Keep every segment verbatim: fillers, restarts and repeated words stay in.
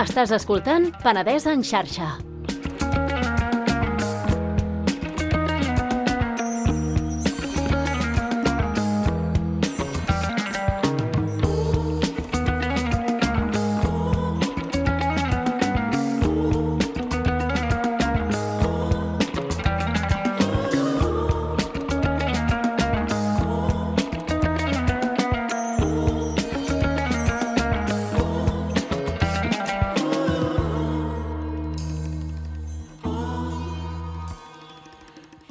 Estàs escoltant Penedès en xarxa.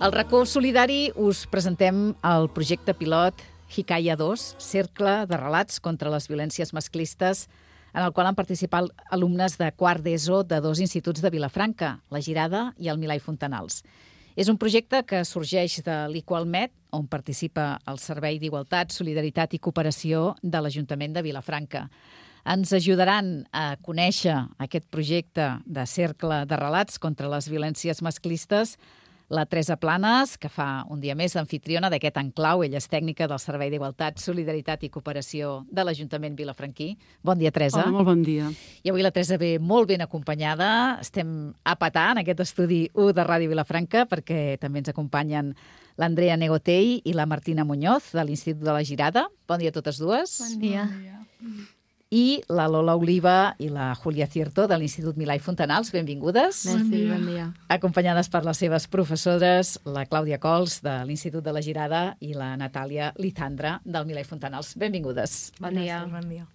Al racó solidari us presentem el projecte pilot Hikaya dos, cercle de relats contra les violències masclistes, en el qual han participat alumnes de quart d'ESO de dos instituts de Vilafranca, La Girada i el Milà i Fontanals. És un projecte que sorgeix de l'Equalmet, on participa el Servei d'Igualtat, Solidaritat i Cooperació de l'Ajuntament de Vilafranca. Ens ajudaran a conèixer aquest projecte de cercle de relats contra les violències masclistes la Teresa Planes, que fa un dia més d'amfitriona d'aquest enclau. Ella és tècnica del Servei d'Igualtat, Solidaritat i Cooperació de l'Ajuntament vilafranquí. Bon dia, Teresa. Hola, molt bon dia. I avui la Teresa ve molt ben acompanyada. Estem a petar en aquest estudi u de Ràdio Vilafranca perquè també ens acompanyen l'Andrea Negotell i la Martina Muñoz de l'Institut de la Girada. Bon dia a totes dues. Bon dia. Bon dia. I la Lola Oliva i la Júlia Cierto de l'Institut Milà i Fontanals. Benvingudes. Merci, bon dia. Acompanyades per les seves professores, la Clàudia Cols de l'Institut de la Girada i la Natàlia Lizandra del Milà i Fontanals. Benvingudes. Bon dia. Bon dia.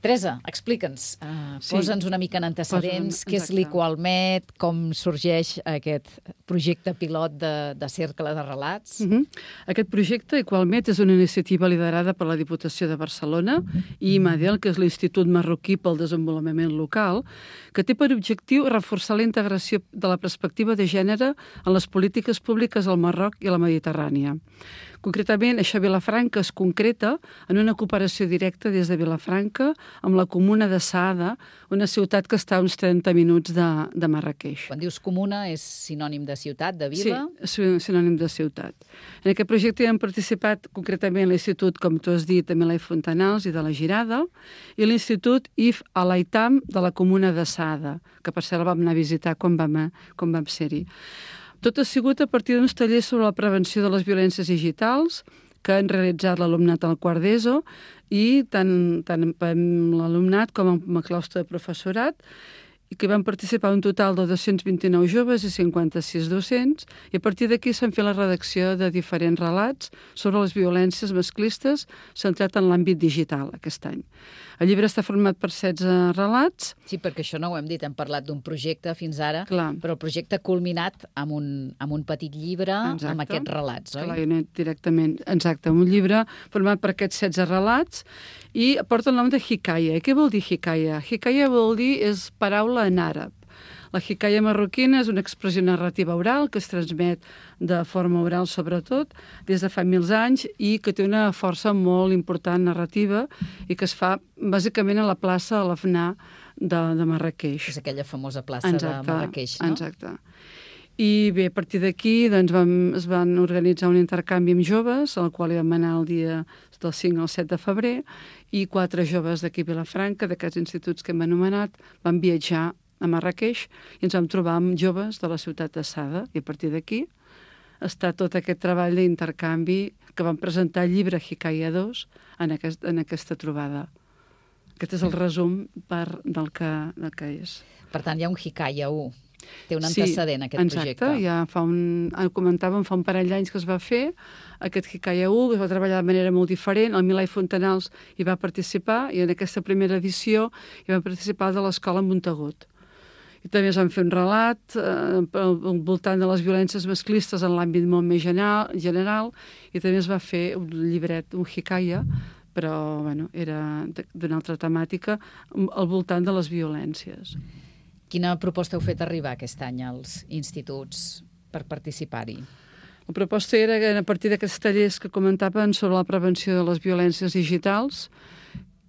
Teresa, explica'ns, uh, Sí. posa'ns una mica en antecedents, Posa'm, què és exacte. l'Equalmet, com sorgeix aquest projecte pilot de, de cercle de relats. Uh -huh. Aquest projecte, Equalmet, és una iniciativa liderada per la Diputació de Barcelona i IMADEL, que és l'Institut Marroquí pel Desenvolupament Local, que té per objectiu reforçar la integració de la perspectiva de gènere en les polítiques públiques al Marroc i a la Mediterrània. Concretament, això a Vilafranca es concreta en una cooperació directa des de Vilafranca amb la comuna de Saada, una ciutat que està a uns trenta minuts de, de Marràqueix. Quan dius comuna és sinònim de ciutat, de vila? Sí, és sinònim de ciutat. En aquest projecte hi han participat concretament l'Institut, com tu has dit, de Milà i Fontanals i de la Girada, i l'Institut I F Alaitam de la comuna de Saada, que per cert el vam anar a visitar quan vam, quan vam ser-hi. Tot ha sigut a partir d'uns tallers sobre la prevenció de les violències digitals que han realitzat l'alumnat al quart d'ESO i tant, tant amb l'alumnat com amb el claustre de professorat, i que van participar un total de dos-cents vint-i-nou joves i cinquanta-sis docents, i a partir d'aquí s'han fet la redacció de diferents relats sobre les violències masclistes centrat en l'àmbit digital aquest any. El llibre està format per setze relats. Sí, perquè això no ho hem dit, hem parlat d'un projecte fins ara, Clar. però el projecte ha culminat amb un, amb un petit llibre Exacte. amb aquests relats, oi? Clar, i no directament, exacte, un llibre format per aquests setze relats i porta el nom de Hikaya. I què vol dir Hikaya? Hikaya vol dir, és paraula en àrab. La Hikaya marroquina és una expressió narrativa oral que es transmet de forma oral sobretot des de fa mils anys i que té una força molt important narrativa i que es fa bàsicament a la plaça Al-Afnà de, de Marràqueix. És aquella famosa plaça Exacte, de Marràqueix, no? Exacte. I bé, a partir d'aquí doncs, vam, es van organitzar un intercanvi amb joves, al qual hi vam anar el dia del cinc al set de febrer, i quatre joves d'aquí a Vilafranca, d'aquests instituts que hem anomenat, van viatjar a Marràqueix i ens vam trobar amb joves de la ciutat de Saada. I a partir d'aquí està tot aquest treball d'intercanvi que vam presentar el llibre Hikaya dos en, aquest, en aquesta trobada. Aquest és el resum per, del, que, del que és. Per tant, hi ha un Hikaya u. Té un antecedent, sí, aquest exacte, projecte. Exacte, ja fa un, comentàvem fa un parell d'anys que es va fer aquest Hikaya u, que es va treballar de manera molt diferent. El Milà i Fontanals hi va participar i en aquesta primera edició hi va participar de l'Escola Montagut. I també es van fer un relat eh, al voltant de les violències masclistes en l'àmbit molt més general, general i també es va fer un llibret, un Hikaya, però bueno, era d'una altra temàtica al voltant de les violències. Quina proposta heu fet arribar aquest any als instituts per participar-hi? La proposta era que a partir d'aquests tallers que comentaven sobre la prevenció de les violències digitals,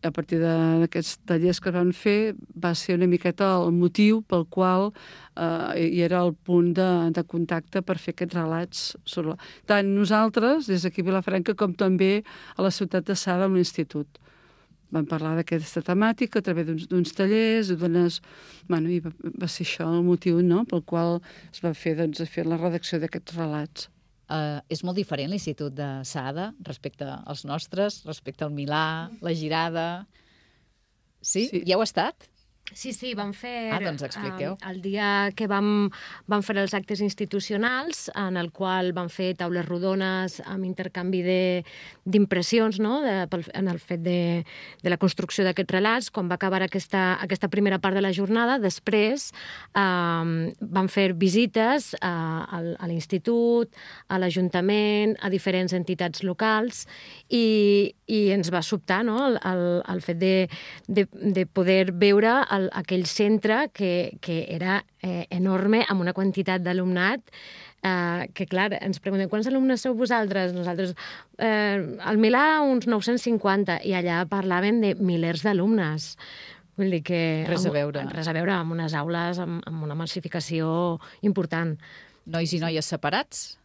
a partir d'aquests tallers que van fer, va ser una miqueta el motiu pel qual eh, hi era el punt de, de contacte per fer aquests relats. Sobre... Tant nosaltres, des d'aquí a Vilafranca, com també a la ciutat de Saada, amb l'institut. van parlar d'aquesta temàtica a través d'uns, d'uns tallers, d'unes... Bueno, i va, va ser això el motiu, no?, pel qual es va fer, doncs, fer la redacció d'aquests relats. Uh, és molt diferent l'Institut de Saada respecte als nostres, respecte al Milà, la Girada... Sí? sí. Ja heu estat? Sí, sí, vam fer... Ah, doncs expliqueu. Uh, el dia que vam, vam fer els actes institucionals, en el qual vam fer taules rodones amb intercanvi d'impressions, no?, de, en el fet de, de la construcció d'aquests relats. Quan va acabar aquesta, aquesta primera part de la jornada, després um, vam fer visites a, a, a l'institut, a l'Ajuntament, a diferents entitats locals, i, i ens va sobtar, no?, el, el, el fet de, de, de poder veure el, aquell centre que, que era eh, enorme, amb una quantitat d'alumnat eh, que, clar, ens preguntem quants alumnes sou vosaltres? Nosaltres, eh, al Milà, uns nou-cents cinquanta, i allà parlaven de milers d'alumnes. Vull dir que... Res a veure. Amb, res a veure, amb unes aules, amb, amb una massificació important. Nois i noies separats?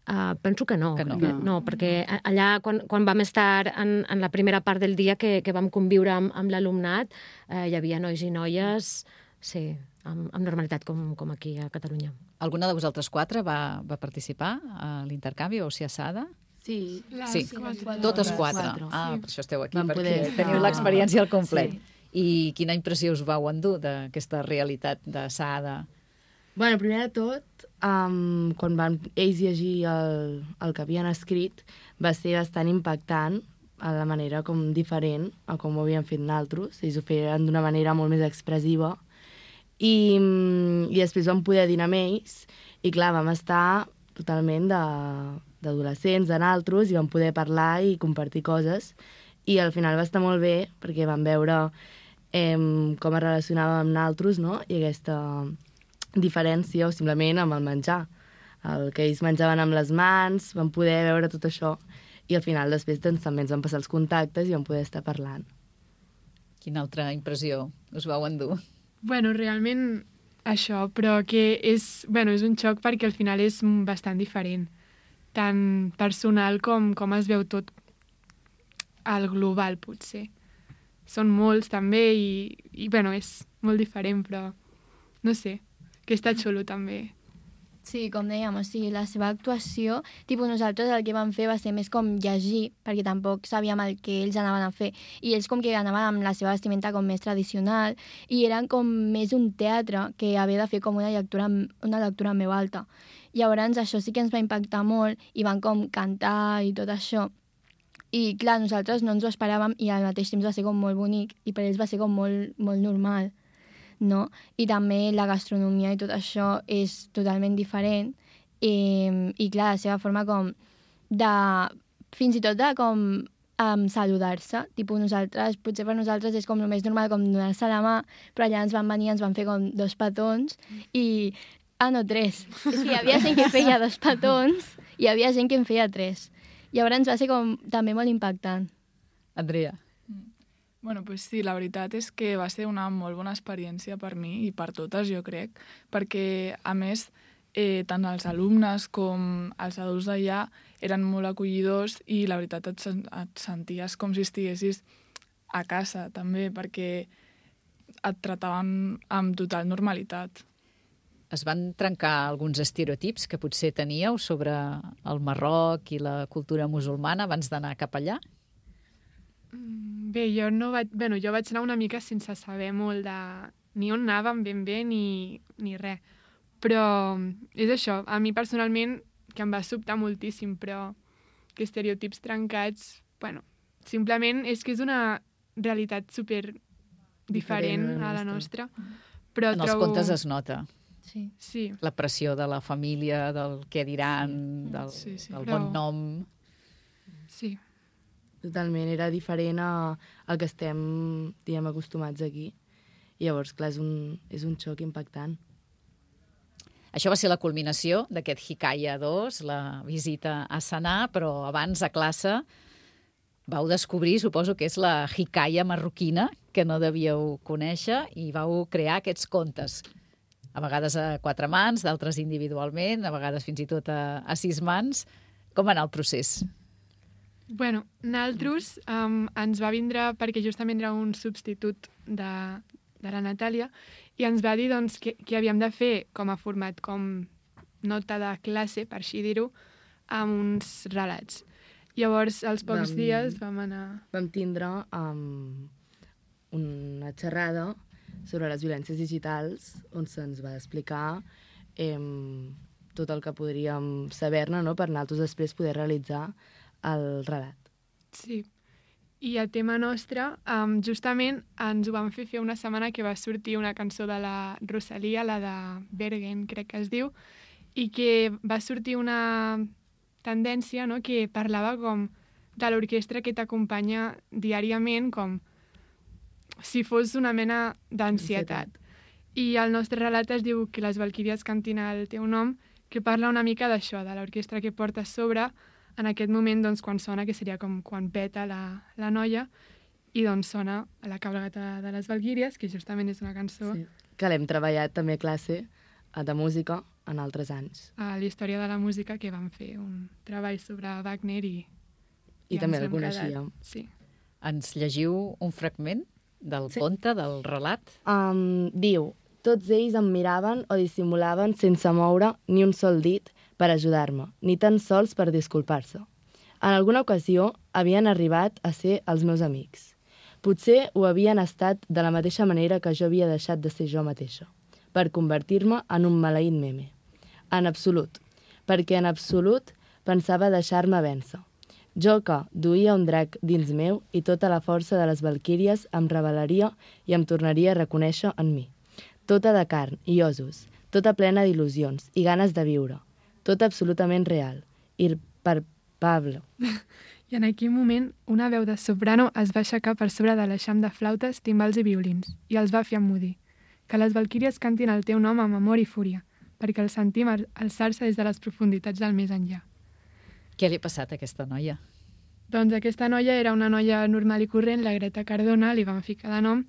Uh, penso que no, que no. no, no, perquè allà, quan, quan vam estar en, en la primera part del dia que, que vam conviure amb, amb l'alumnat, eh, hi havia nois i noies, sí, amb, amb normalitat, com, com aquí a Catalunya. Alguna de vosaltres quatre va, va participar a l'intercanvi o sigui a Saada? Sí, sí. Quatre. Totes quatre. quatre. Ah, Sí. per això esteu aquí, Vam perquè poder teniu estar- l'experiència al complet. Sí. I quina impressió us vau endur d'aquesta realitat de Saada? Bueno, primer de tot, um, quan van ells llegir el, el que havien escrit, va ser bastant impactant a la manera com diferent a com ho havien fet naltros. Ells ho feien d'una manera molt més expressiva. I, i després vam poder dinar amb ells i, clar, vam estar totalment de- d'adolescents, de naltros, i vam poder parlar i compartir coses. I al final va estar molt bé perquè vam veure eh, com es relacionava amb naltros, no?, i aquesta diferència, o simplement amb el menjar. El que ells menjaven amb les mans, vam poder veure tot això, i al final després doncs, també ens van passar els contactes i vam poder estar parlant. Quina altra impressió us vau endur? Bueno, realment això, però que és, bueno, és un xoc perquè al final és bastant diferent. Tant personal com com es veu tot al global, potser. Són molts també i, i bueno, és molt diferent, però no sé, que està xulo també. Sí, com dèiem, o sigui, la seva actuació, tipus, nosaltres el que vam fer va ser més com llegir, perquè tampoc sabíem el que ells anaven a fer, i ells com que anaven amb la seva vestimenta com més tradicional, i eren com més un teatre que havia de fer com una lectura, una lectura en veu alta. Llavors això sí que ens va impactar molt, i van com cantar i tot això. I clar, nosaltres no ens ho esperàvem, i al mateix temps va ser com molt bonic, i per ells va ser com molt, molt normal, no? I també la gastronomia i tot això és totalment diferent, i, i clar, la seva forma com de, fins i tot de com um, saludar-se, tipus nosaltres, potser per nosaltres és com el més normal com donar-se la mà, però allà ens van venir, ens van fer com dos petons i, ah no, tres, és que hi havia gent que feia dos petons i hi havia gent que en feia tres, llavors va ser com també molt impactant. Andrea. Bueno, pues sí, la veritat és que va ser una molt bona experiència per mi i per totes, jo crec, perquè, a més, eh, tant els alumnes com els adults d'allà eren molt acollidors i la veritat et, sen et senties com si estiguessis a casa, també, perquè et trataven amb total normalitat. Es van trencar alguns estereotips que potser teníeu sobre el Marroc i la cultura musulmana abans d'anar cap allà? Bé, jo no vaig... Bueno, jo vaig anar una mica sense saber molt de ni on anàvem ben bé ni, ni res. Però és això, a mi personalment, que em va sobtar moltíssim, però que estereotips trencats, bueno, simplement és que és una realitat super diferent a la nostra. Però en els trobo... contes es nota. Sí. Sí. La pressió de la família, del què diran, del, Sí, sí. del Però- bon nom... Sí. Totalment, era diferent a, al que estem, diguem, acostumats aquí. I llavors, clar, és un, és un xoc impactant. Això va ser la culminació d'aquest Hikaya dos, la visita a Sanà, però abans a classe vau descobrir, suposo que és la Hikaya marroquina, que no devíeu conèixer, i vau crear aquests contes. A vegades a quatre mans, d'altres individualment, a vegades fins i tot a, a sis mans. Com va anar el procés? Bueno, nosaltres um, ens va vindre, perquè justament era un substitut de, de la Natàlia, i ens va dir doncs, que, que havíem de fer com a format, com nota de classe, per així dir-ho, amb uns relats. Llavors, als pocs Vam- dies vam anar... Vam tindre um, una xerrada sobre les violències digitals on se'ns va explicar em, tot el que podríem saber-ne, no?, per nosaltres després poder realitzar el relat. Sí. I el tema nostre, um, justament ens ho van fer fer una setmana que va sortir una cançó de la Rosalia, la de Bergen, crec que es diu, i que va sortir una tendència, no?, que parlava com de l'orquestra que t'acompanya diàriament, com si fos una mena d'ansietat. I el nostre relat es diu que les Valquíries cantin el teu nom, que parla una mica d'això, de l'orquestra que portes sobre en aquest moment, doncs, quan sona, que seria com quan peta la, la noia, i doncs sona la cabalgata de les Valquíries, que justament és una cançó Sí. Que l'hem treballat també a classe eh, de música en altres anys. a la història de la música, que vam fer un treball sobre Wagner i... I també ens el hem coneixíem. quedat- Sí. Ens llegiu un fragment del Sí. conte, del relat? Um, diu, tots ells em miraven o dissimulaven sense moure ni un sol dit per ajudar-me, ni tan sols per disculpar-se. En alguna ocasió havien arribat a ser els meus amics. Potser ho havien estat de la mateixa manera que jo havia deixat de ser jo mateixa, per convertir-me en un maleït meme. En absolut, perquè en absolut pensava deixar-me vèncer. Jo que duia un drac dins meu i tota la força de les valquíries em revelaria i em tornaria a reconèixer en mi. Tota de carn i ossos, tota plena d'il·lusions i ganes de viure, tot absolutament real, irpalpable. I en aquell moment, una veu de soprano es va aixecar per sobre de l'eixam de flautes, timbals i violins, i els va fer emmudir. Que les Valquíries cantin el teu nom amb amor i fúria, perquè el sentim al- alçar-se des de les profunditats del més enllà. Què li ha passat a aquesta noia? Doncs aquesta noia era una noia normal i corrent, la Greta Cardona, li van ficar de nom,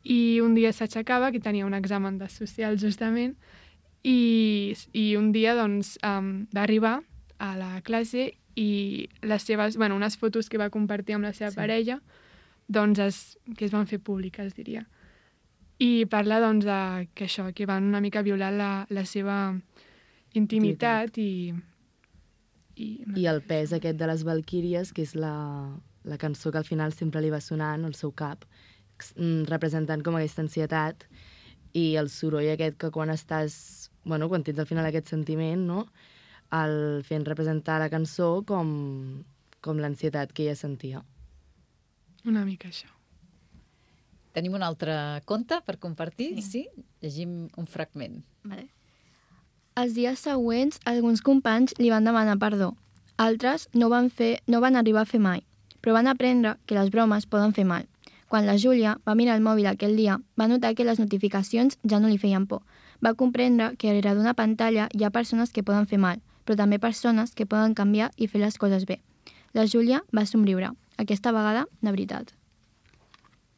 i un dia s'aixecava, que tenia un examen de social justament, i, i un dia doncs, um, va arribar a la classe i les seves, bueno, unes fotos que va compartir amb la seva Sí. sí. parella, doncs es, que es van fer públiques, diria. I parla doncs, de, que això, que van una mica violar la, la seva intimitat i... I, I el pes aquest de les Valquíries, que és la, la cançó que al final sempre li va sonant al seu cap, mm, representant com aquesta ansietat i el soroll aquest que quan estàs, bueno, quan tens al final aquest sentiment, no?, el fent representar la cançó com, com l'ansietat que ella sentia. una mica això. Tenim un altre conte per compartir? Sí? sí? Llegim un fragment. Vale. Els dies següents, alguns companys li van demanar perdó. Altres no van, fer, no van arribar a fer mai, però van aprendre que les bromes poden fer mal. Quan la Júlia va mirar el mòbil aquell dia, va notar que les notificacions ja no li feien por. Va comprendre que darrere d'una pantalla hi ha persones que poden fer mal, però també persones que poden canviar i fer les coses bé. La Júlia va somriure, aquesta vegada de veritat.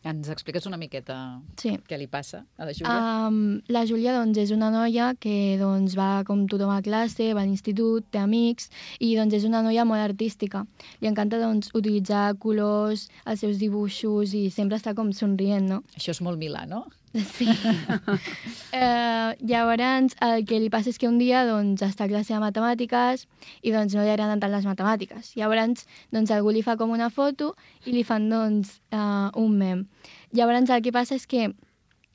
Ens expliques una miqueta Sí. què li passa a la Júlia? Um, la Júlia doncs, és una noia que doncs, va com tothom a classe, va a l'institut, té amics, i doncs, és una noia molt artística. Li encanta doncs, utilitzar colors, els seus dibuixos, i sempre està com somrient, no? Això és molt Milà, no? Sí. eh, llavors, el que li passa és que un dia doncs, està a classe de matemàtiques i doncs, no li agraden tant les matemàtiques. Llavors, doncs, algú li fa com una foto i li fan doncs, eh, un mem. Llavors, el que passa és que,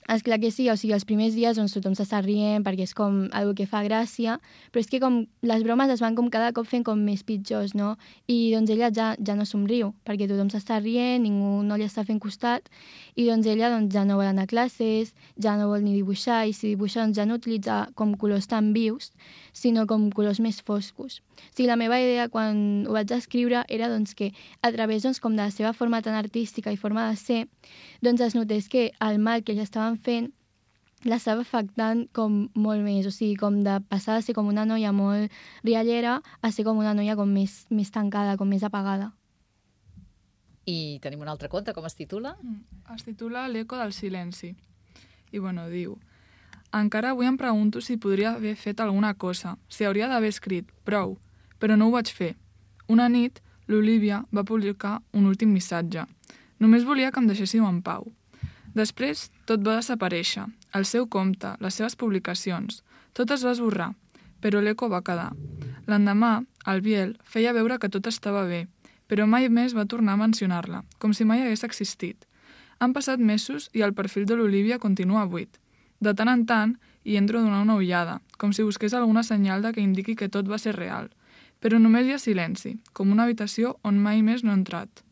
esclar que sí, o sigui, els primers dies doncs, tothom s'està rient perquè és com algo que fa gràcia, però és que com les bromes es van com cada cop fent com més pitjors, no? I doncs ella ja, ja no somriu, perquè tothom s'està rient, ningú no li està fent costat, i doncs ella doncs, ja no vol anar a classes, ja no vol ni dibuixar, i si dibuixa doncs, ja no utilitza com colors tan vius, sinó com colors més foscos. O sigui, la meva idea quan ho vaig escriure era doncs, que a través doncs, com de la seva forma tan artística i forma de ser, doncs es notés que el mal que ella estaven fent l'estava afectant com molt més, o sigui, com de passar de ser com una noia molt riallera a ser com una noia com més, més tancada, com més apagada. I tenim un altre conte, com es titula? Es titula L'eco del silenci. I, bueno, diu... Encara avui em pregunto si podria haver fet alguna cosa, si hauria d'haver escrit, prou, però no ho vaig fer. Una nit l'Olivia va publicar un últim missatge. Només volia que em deixéssiu en pau. Després, tot va desaparèixer. El seu compte, les seves publicacions. Tot es va esborrar, però l'eco va quedar. L'endemà, el Biel feia veure que tot estava bé, però mai més va tornar a mencionar-la, com si mai hagués existit. Han passat mesos i el perfil de l'Olivia continua buit. De tant en tant, hi entro a donar una ullada, com si busqués alguna senyal de que indiqui que tot va ser real. Però només hi ha silenci, com una habitació on mai més no he entrat.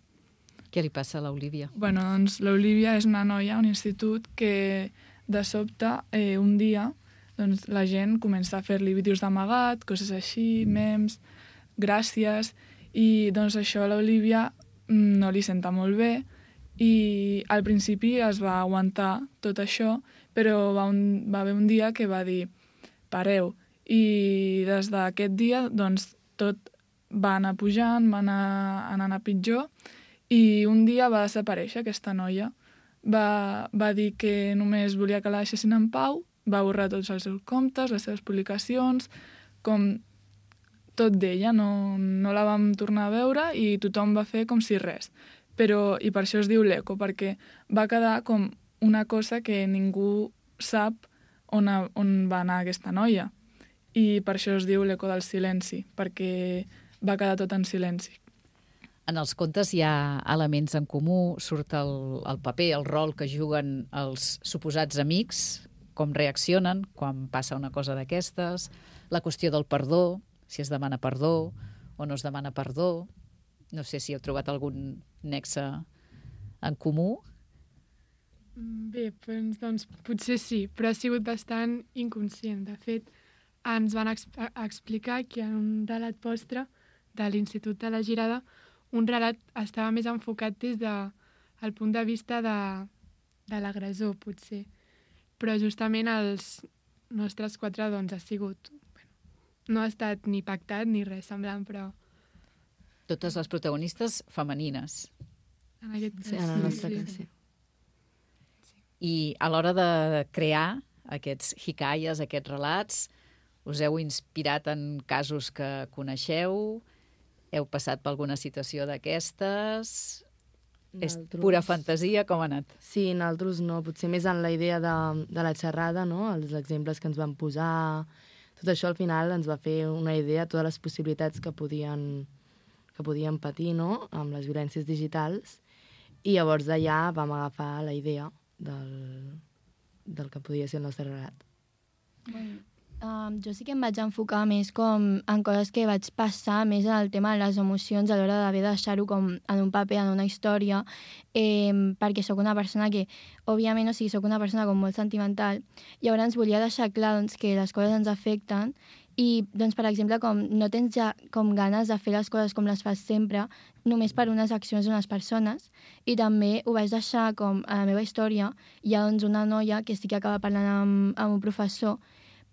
Què li passa a l'Olivia? Bueno, doncs l'Olivia és una noia a un institut que de sobte, eh, un dia, doncs, la gent comença a fer-li vídeos d'amagat, coses així, memes, gràcies, i doncs això a l'Olivia no li senta molt bé i al principi es va aguantar tot això, però va, un, va haver un dia que va dir pareu, i des d'aquest dia doncs tot va anar pujant, va anar anant a pitjor, i un dia va desaparèixer aquesta noia. Va, va dir que només volia que la deixessin en pau, va borrar tots els seus comptes, les seves publicacions, com tot d'ella, no, no la vam tornar a veure i tothom va fer com si res. Però, i per això es diu l'eco, perquè va quedar com una cosa que ningú sap on, a, on va anar aquesta noia. I per això es diu l'eco del silenci, perquè va quedar tot en silenci. En els contes hi ha elements en comú, surt el, el paper, el rol que juguen els suposats amics, com reaccionen quan passa una cosa d'aquestes, la qüestió del perdó, si es demana perdó o no es demana perdó. No sé si heu trobat algun nexe en comú. Bé, doncs, doncs potser sí, però ha sigut bastant inconscient. De fet, ens van ex explicar que en un relat postre de l'Institut de la Girada un relat estava més enfocat des del de, punt de vista de, de l'agressor, potser. Però justament els nostres quatre doncs, ha sigut... Bueno, no ha estat ni pactat ni res semblant, però... Totes les protagonistes femenines. En aquest cas, sí, en el nostre cas, sí. I a l'hora de crear aquests hikayes, aquests relats, us heu inspirat en casos que coneixeu? Heu passat per alguna situació d'aquestes? És pura fantasia? Com ha anat? Sí, nosaltres no. Potser més en la idea de, de la xerrada, no? Els exemples que ens van posar... Tot això al final ens va fer una idea de totes les possibilitats que podien, que podien patir, no? Amb les violències digitals. I llavors d'allà vam agafar la idea del, del que podia ser el nostre relat. Bueno. Um, jo sí que em vaig enfocar més com en coses que vaig passar, més en el tema de les emocions a l'hora d'haver de deixar-ho com en un paper, en una història, eh, perquè sóc una persona que, òbviament, o sigui, sóc una persona com molt sentimental, i llavors volia deixar clar doncs, que les coses ens afecten i, doncs, per exemple, com no tens ja com ganes de fer les coses com les fas sempre, només per unes accions d'unes persones, i també ho vaig deixar com a la meva història. Hi ha doncs, una noia que sí que acaba parlant amb, amb un professor,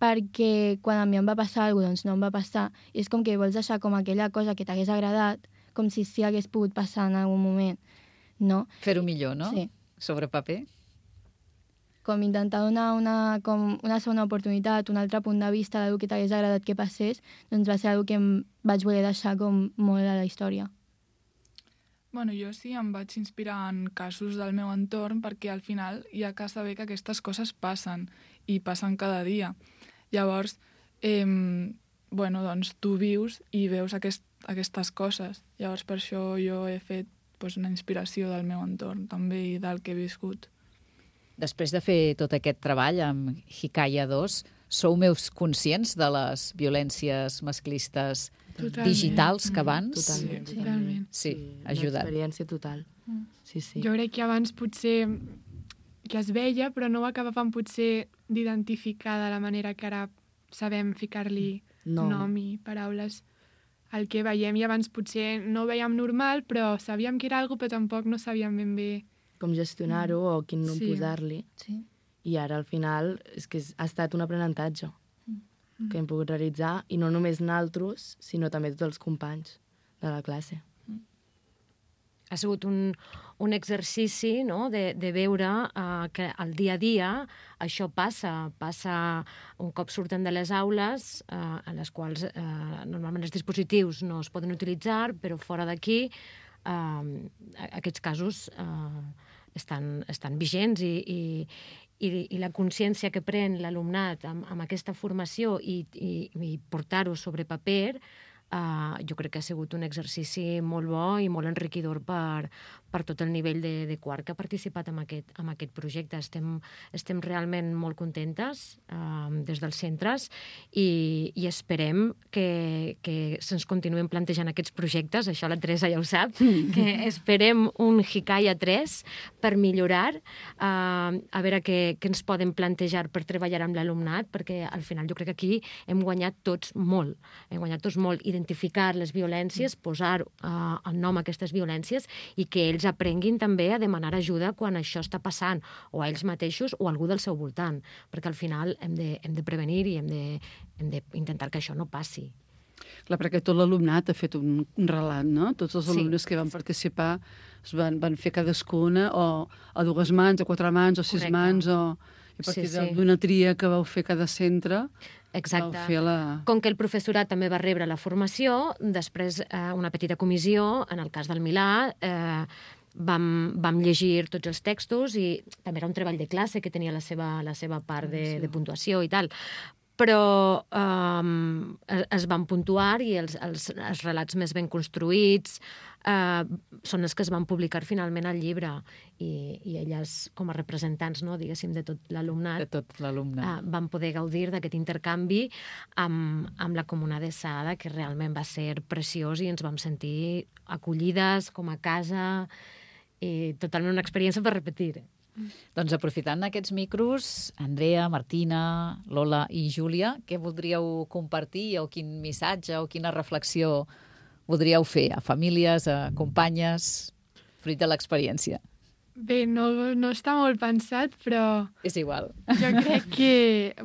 perquè quan a mi em va passar alguna cosa, doncs no em va passar. I és com que vols deixar com aquella cosa que t'hagués agradat, com si sí hagués pogut passar en algun moment, no? Fer-ho millor, no? Sí. Sobre paper? Com intentar donar una, com una segona oportunitat, un altre punt de vista d'algú que t'hagués agradat que passés, doncs va ser algo que em vaig voler deixar com molt a la història. Bueno, jo sí em vaig inspirar en casos del meu entorn perquè al final hi ha que saber que aquestes coses passen i passen cada dia. Llavors, eh, bueno, doncs tu vius i veus aquest, aquestes coses. Llavors per això jo he fet pues, una inspiració del meu entorn també i del que he viscut. Després de fer tot aquest treball amb Hikaya dos, sou més conscients de les violències masclistes Totalment. digitals que abans? Totalment. Sí, totalment. Sí, Una ajudat. experiència total. Sí, sí. Jo crec que abans potser que es veia, però no ho acabàvem potser d'identificar de la manera que ara sabem ficar-li No. nom i paraules al que veiem. I abans potser no ho veiem normal, però sabíem que era alguna cosa, però tampoc no sabíem ben bé. Com gestionar-ho o quin nom Sí. posar-li. Sí. I ara, al final, és que ha estat un aprenentatge que hem pogut realitzar, i no només nosaltres, sinó també tots els companys de la classe. ha sigut un, un exercici, no?, de, de veure uh, que al dia a dia això passa. Passa un cop surten de les aules, uh, en les quals uh, normalment els dispositius no es poden utilitzar, però fora d'aquí uh, aquests casos uh, estan, estan vigents i, i, i, i la consciència que pren l'alumnat amb, amb aquesta formació i, i, i portar-ho sobre paper, Uh, jo crec que ha sigut un exercici molt bo i molt enriquidor per, per tot el nivell de, de quart que ha participat en aquest, en aquest projecte. Estem, estem realment molt contentes uh, des dels centres i, i esperem que, que se'ns continuïn plantejant aquests projectes. Això la Teresa ja ho sap, que esperem un Hikaya tres per millorar, uh, a veure què, què ens poden plantejar per treballar amb l'alumnat, perquè al final jo crec que aquí hem guanyat tots molt. Hem guanyat tots molt. Identificar les violències, posar uh, el nom a aquestes violències i que ells aprenguin també a demanar ajuda quan això està passant, o a ells mateixos o a algú del seu voltant, perquè al final hem de, hem de prevenir i hem de, hem d'intentar que això no passi. Clar, perquè tot l'alumnat ha fet un, un relat, no? Tots els alumnes sí. que van participar es van, van fer cadascuna o a dues mans, a quatre mans, o sis Correcte. mans, o a partir sí, sí. d'una tria que vau fer cada centre. Exacte. La... Com que el professorat també va rebre la formació, després eh, una petita comissió, en el cas del Milà, eh, vam, vam llegir tots els textos i també era un treball de classe que tenia la seva, la seva part de, de puntuació i tal. Però um, es van puntuar i els, els, els relats més ben construïts uh, són els que es van publicar finalment al llibre. I, i elles, com a representants, no, diguéssim, de tot l'alumnat, de tot l'alumnat, uh, van poder gaudir d'aquest intercanvi amb, amb la Comuna de Sada, que realment va ser preciós i ens vam sentir acollides com a casa i totalment una experiència per repetir. Doncs aprofitant aquests micros, Andrea, Martina, Lola i Júlia, què voldríeu compartir o quin missatge o quina reflexió voldríeu fer a famílies, a companyes, fruit de l'experiència? Bé, no, no està molt pensat, però... És igual. Jo crec que,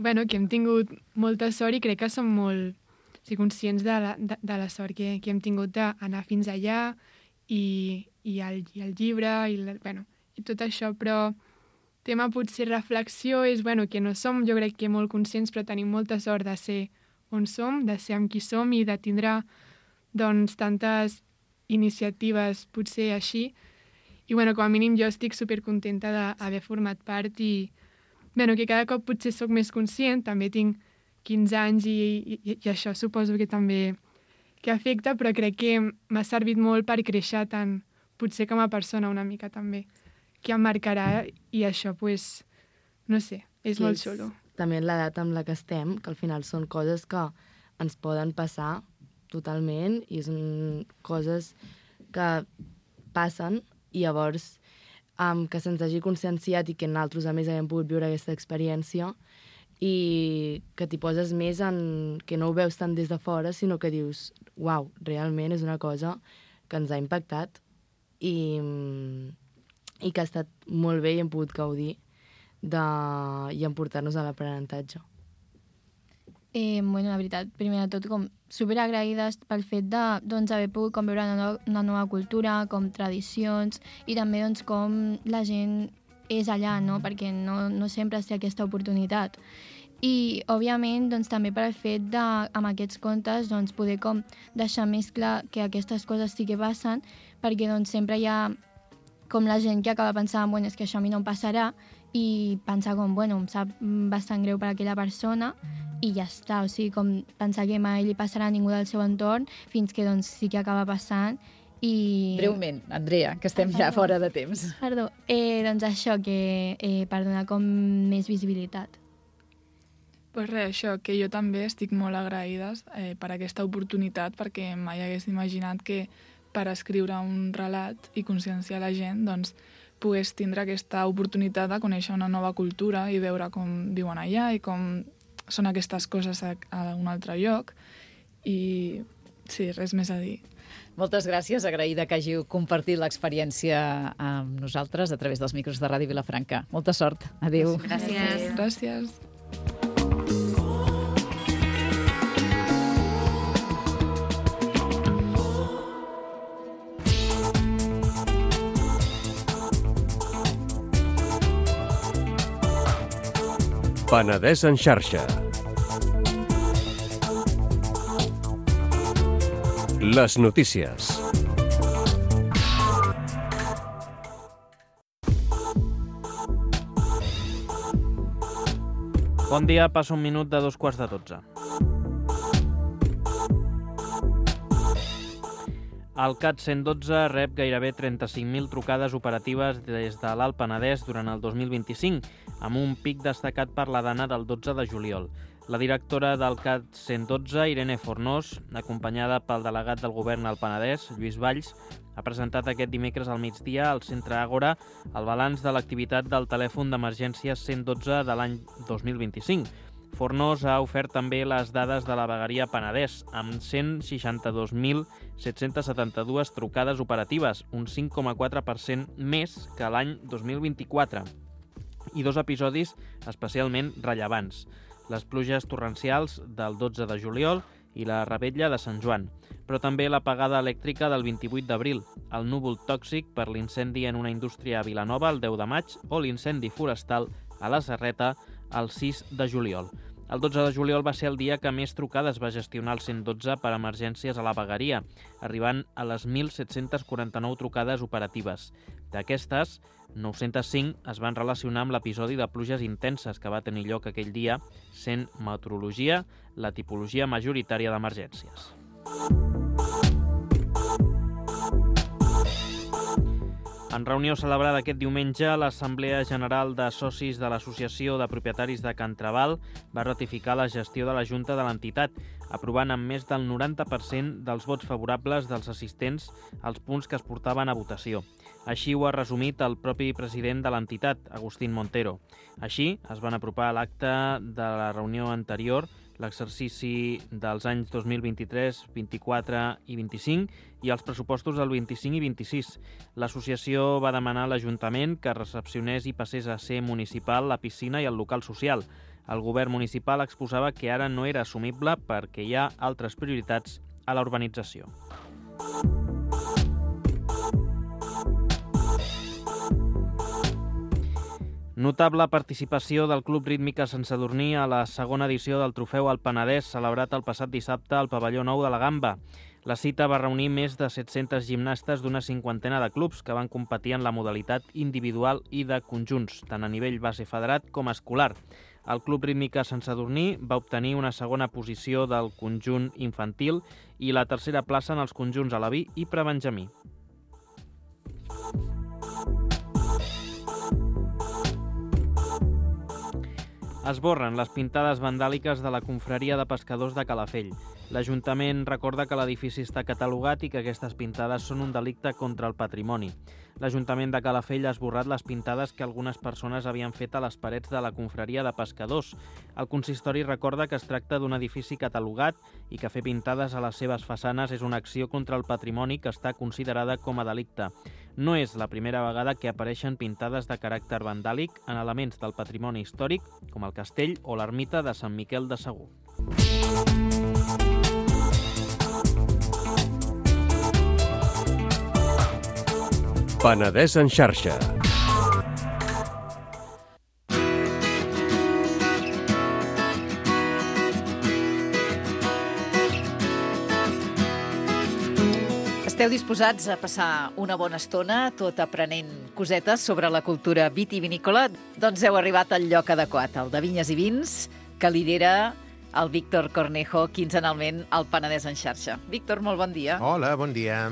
bueno, que hem tingut molta sort i crec que som molt sí, conscients de la, de, de la sort que, que hem tingut d'anar fins allà i, i, el, i el llibre i, la, bueno, i tot això, però tema potser reflexió és bueno, que no som, jo crec que molt conscients, però tenim molta sort de ser on som, de ser amb qui som i de tindre doncs, tantes iniciatives potser així. I bueno, com a mínim jo estic supercontenta d'haver format part i bueno, que cada cop potser sóc més conscient, també tinc quinze anys i, i, i això suposo que també que afecta, però crec que m'ha servit molt per créixer tant potser com a persona una mica també, que em marcarà i això, pues, no sé, és molt xulo. També l'edat amb la que estem, que al final són coses que ens poden passar totalment i són coses que passen i llavors um, que se'ns hagi conscienciat i que nosaltres a més haguem pogut viure aquesta experiència i que t'hi poses més en que no ho veus tant des de fora, sinó que dius, uau, realment és una cosa que ens ha impactat i... i que ha estat molt bé i hem pogut gaudir de... i emportar-nos a l'aprenentatge. Eh, bueno, la veritat, primer de tot, com superagraïdes pel fet de doncs, haver pogut com veure una, no una nova cultura, com tradicions, i també doncs, com la gent és allà, no? Perquè no, no sempre es té aquesta oportunitat. I, òbviament, doncs, també per el fet de, amb aquests contes, doncs, poder com deixar més clar que aquestes coses sí que passen, perquè doncs, sempre hi ha com la gent que acaba pensant, bueno, és que això a mi no em passarà, i pensar com, bueno, em sap bastant greu per aquella persona, i ja està, o sigui, com pensar que mai li passarà a ningú del seu entorn, fins que doncs sí que acaba passant, i... Breument, Andrea, que estem ja Perdó. fora de temps. Perdó, eh, doncs això, que eh, per donar com més visibilitat. Pues res, això, que jo també estic molt agraïda eh, per aquesta oportunitat, perquè mai hagués imaginat que per escriure un relat i conscienciar la gent, doncs, pogués tindre aquesta oportunitat de conèixer una nova cultura i veure com viuen allà i com són aquestes coses a, a un altre lloc. I sí, res més a dir. Moltes gràcies, agraïda que hàgiu compartit l'experiència amb nosaltres a través dels micros de Ràdio Vilafranca. Molta sort. Adéu. Gràcies. Gràcies. Penedès en xarxa. Les notícies. Bon dia, passa un minut de dos quarts de dotze. El CAT cent dotze rep gairebé trenta-cinc mil trucades operatives des de l'Alt Penedès durant el dos mil vint-i-cinc, amb un pic destacat per la dana del dotze de juliol. La directora del CAT cent dotze, Irene Fornós, acompanyada pel delegat del govern al Penedès, Lluís Valls, ha presentat aquest dimecres al migdia al Centre Àgora el balanç de l'activitat del telèfon d'emergències cent dotze de l'any dos mil vint-i-cinc. Fornós ha ofert també les dades de la vegueria Penedès, amb cent seixanta-dos mil set-cents setanta-dos trucades operatives, un cinc coma quatre per cent més que l'any dos mil vint-i-quatre, i dos episodis especialment rellevants: les pluges torrencials del dotze de juliol i la revetlla de Sant Joan, però també l'apagada elèctrica del vint-i-vuit d'abril, el núvol tòxic per l'incendi en una indústria a Vilanova el deu de maig o l'incendi forestal a la Serreta el sis de juliol. El dotze de juliol va ser el dia que més trucades va gestionar el cent dotze per emergències a la vegueria, arribant a les mil set-cents quaranta-nou trucades operatives. D'aquestes, nou-cents cinc es van relacionar amb l'episodi de pluges intenses que va tenir lloc aquell dia, sent meteorologia la tipologia majoritària d'emergències. En reunió celebrada aquest diumenge, l'Assemblea General de Socis de l'Associació de Propietaris de Can Trabal va ratificar la gestió de la Junta de l'entitat, aprovant amb més del noranta per cent dels vots favorables dels assistents als punts que es portaven a votació. Així ho ha resumit el propi president de l'entitat, Agustín Montero. Així, es van apropar a l'acte de la reunió anterior l'exercici dels anys dos mil vint-i-tres, vint-i-quatre i vint-i-cinc i els pressupostos del vint-i-cinc i vint-i-sis. L'associació va demanar a l'Ajuntament que recepcionés i passés a ser municipal la piscina i el local social. El govern municipal exposava que ara no era assumible perquè hi ha altres prioritats a la urbanització. Notable participació del Club Rítmica Sant Sadurní a la segona edició del Trofeu al Penedès, celebrat el passat dissabte al pavelló nou de la Gamba. La cita va reunir més de set-cents gimnastes d'una cinquantena de clubs que van competir en la modalitat individual i de conjunts, tant a nivell base federat com escolar. El Club Rítmica Sant Sadurní va obtenir una segona posició del conjunt infantil i la tercera plaça en els conjunts alaví i prebenjamí. Esborren les pintades vandàliques de la confraria de pescadors de Calafell. L'Ajuntament recorda que l'edifici està catalogat i que aquestes pintades són un delicte contra el patrimoni. L'Ajuntament de Calafell ha esborrat les pintades que algunes persones havien fet a les parets de la confraria de pescadors. El consistori recorda que es tracta d'un edifici catalogat i que fer pintades a les seves façanes és una acció contra el patrimoni que està considerada com a delicte. No és la primera vegada que apareixen pintades de caràcter vandàlic en elements del patrimoni històric, com el castell o l'ermita de Sant Miquel de Segur. Penedès en xarxa. Esteu disposats a passar una bona estona tot aprenent cosetes sobre la cultura vitivinícola? Doncs heu arribat al lloc adequat, el de Vinyes i Vins, que lidera el Víctor Cornejo quinzenalment al Penedès en xarxa. Víctor, molt bon dia. Hola, bon dia.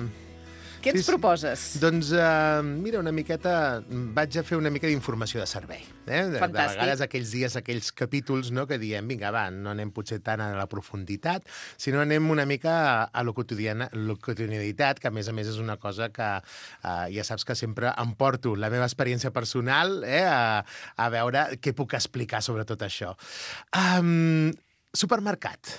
Què ens sí, proposes? Doncs, uh, mira, una miqueta... Vaig a fer una mica d'informació de servei. Eh? De, de vegades aquells dies, aquells capítols, no?, que diem, vinga, va, no anem potser tant a la profunditat, sinó anem una mica a, a la quotidianitat, que a més a més és una cosa que uh, ja saps que sempre em porto la meva experiència personal eh, a, a veure què puc explicar sobre tot això. Um, supermercat.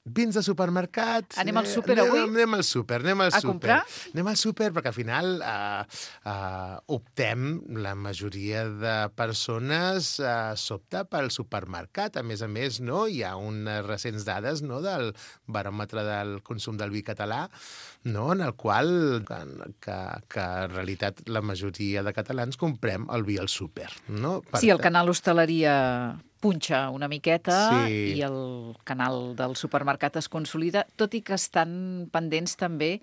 Vins de supermercat... Anem al súper avui? Anem, anem al súper, anem al a súper. comprar? Anem al súper perquè al final uh, uh, optem, la majoria de persones uh, s'opta pel supermercat. A més a més, no, hi ha unes recents dades, no, del baròmetre del consum del vi català, no, en el qual que, que en realitat la majoria de catalans comprem el vi al súper. No? Per sí, el canal hostaleria punxa una miqueta Sí. i el canal del supermercat es consolida, tot i que estan pendents també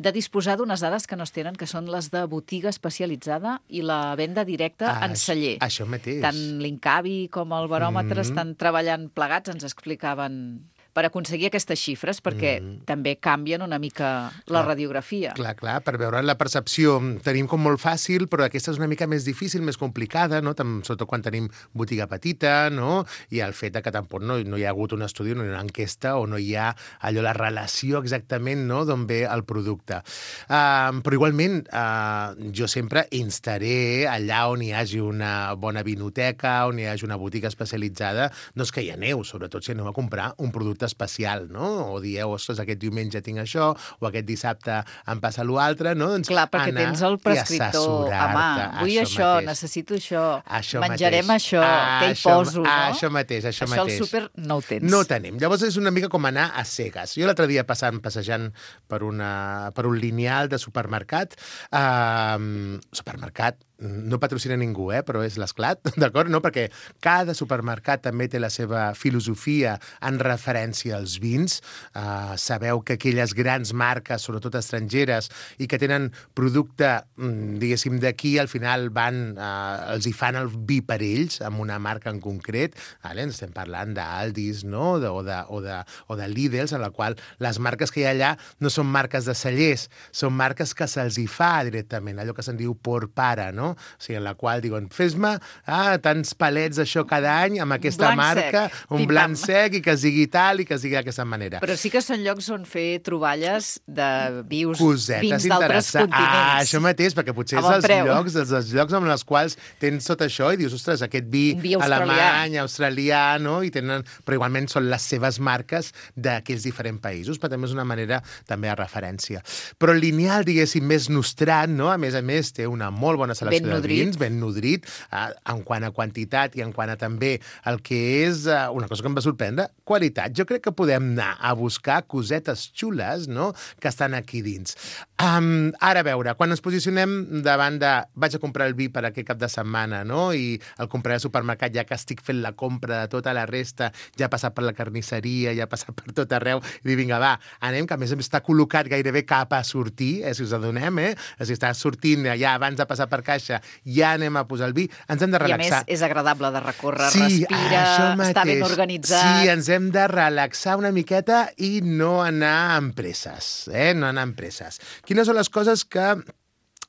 de disposar d'unes dades que no es tenen, que són les de botiga especialitzada i la venda directa Ah, en celler. Això mateix. Tant l'Incavi com el baròmetre Mm. estan treballant plegats, ens explicaven, per aconseguir aquestes xifres, perquè Mm. també canvien una mica la Clar. radiografia. Clar, clar, per veure la percepció tenim com molt fàcil, però aquesta és una mica més difícil, més complicada, no? Tam- sobretot quan tenim botiga petita, no? I el fet de que tampoc no, no hi ha hagut un estudi, no hi ha una enquesta, o no hi ha allò, la relació exactament, no?, d'on ve el producte. Uh, però igualment, uh, jo sempre instaré allà on hi hagi una bona vinoteca, on hi hagi una botiga especialitzada, doncs que hi aneu, sobretot si aneu a comprar un producte especial, no? O dieu, ostres, aquest diumenge tinc això, o aquest dissabte em passa l'altre, no? Doncs Clar, perquè anar tens el i prescriptor a mà. assessorar-te. Vull això, mateix. necessito això, Això menjarem mateix. això, Ah, què hi això- poso, no? ah, això mateix, això Això mateix. al súper no ho tens. No ho tenim. Llavors és una mica com anar a cegues. Jo l'altre dia passant, passejant per, una, per un lineal de supermercat, eh, supermercat, no patrocina ningú, eh, però és l'Esclat, d'acord? No? Perquè cada supermercat també té la seva filosofia en referència als vins. Uh, sabeu que aquelles grans marques, sobretot estrangeres, i que tenen producte, diguéssim, d'aquí, al final van, uh, els hi fan el vi per ells, amb una marca en concret. Vale? Ens estem parlant d'Aldis, no? De, o, de, o, de, o de Lidl, en la qual les marques que hi ha allà no són marques de cellers, són marques que se'ls hi fa directament, allò que se'n diu por para, no? O sigui, en la qual diuen, fes-me ah, tants palets d'això cada any amb aquesta Blanc marca, sec. un Pim, blanc pam. sec i que es digui tal i que es digui d'aquesta manera. Però sí que són llocs on fer troballes de vius, Cosetes vins d'altres interessants. continents. Ah, això mateix, perquè potser A és bon els preu. llocs, els, els llocs amb els quals tens tot això i dius, ostres, aquest vi, Un vi australià. alemany, australià, no? I tenen, però igualment són les seves marques d'aquells diferents països, però també és una manera també de referència. Però el lineal, diguéssim, més nostrat, no? A més a més, té una molt bona selecció Ben de nodrit. vins, ben nodrit, eh, en quant a quantitat i en quant a també el que és eh, una cosa que em va sorprendre, qualitat. Jo crec que podem anar a buscar cosetes xules, no?, que estan aquí dins. Um, ara, a veure, quan ens posicionem davant de vaig a comprar el vi per aquest cap de setmana, no?, i el compraré al supermercat ja que estic fent la compra de tota la resta, ja ha passat per la carnisseria, ja ha passat per tot arreu, i dir, vinga, va, anem, que a més està col·locat gairebé cap a sortir, eh, si us adonem, eh? Si està sortint ja abans de passar per caixa, ja anem a posar el vi, ens hem de I a relaxar. més és agradable de recórrer, Sí, respira, això està ben mateix. organitzat. Sí, ens hem de relaxar una miqueta i no anar amb presses, eh? No anar amb presses. Quines són les coses que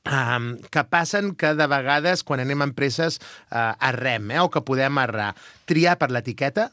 Um, que passen que de vegades quan anem amb presses uh, errem, eh? O que podem errar? Triar per l'etiqueta,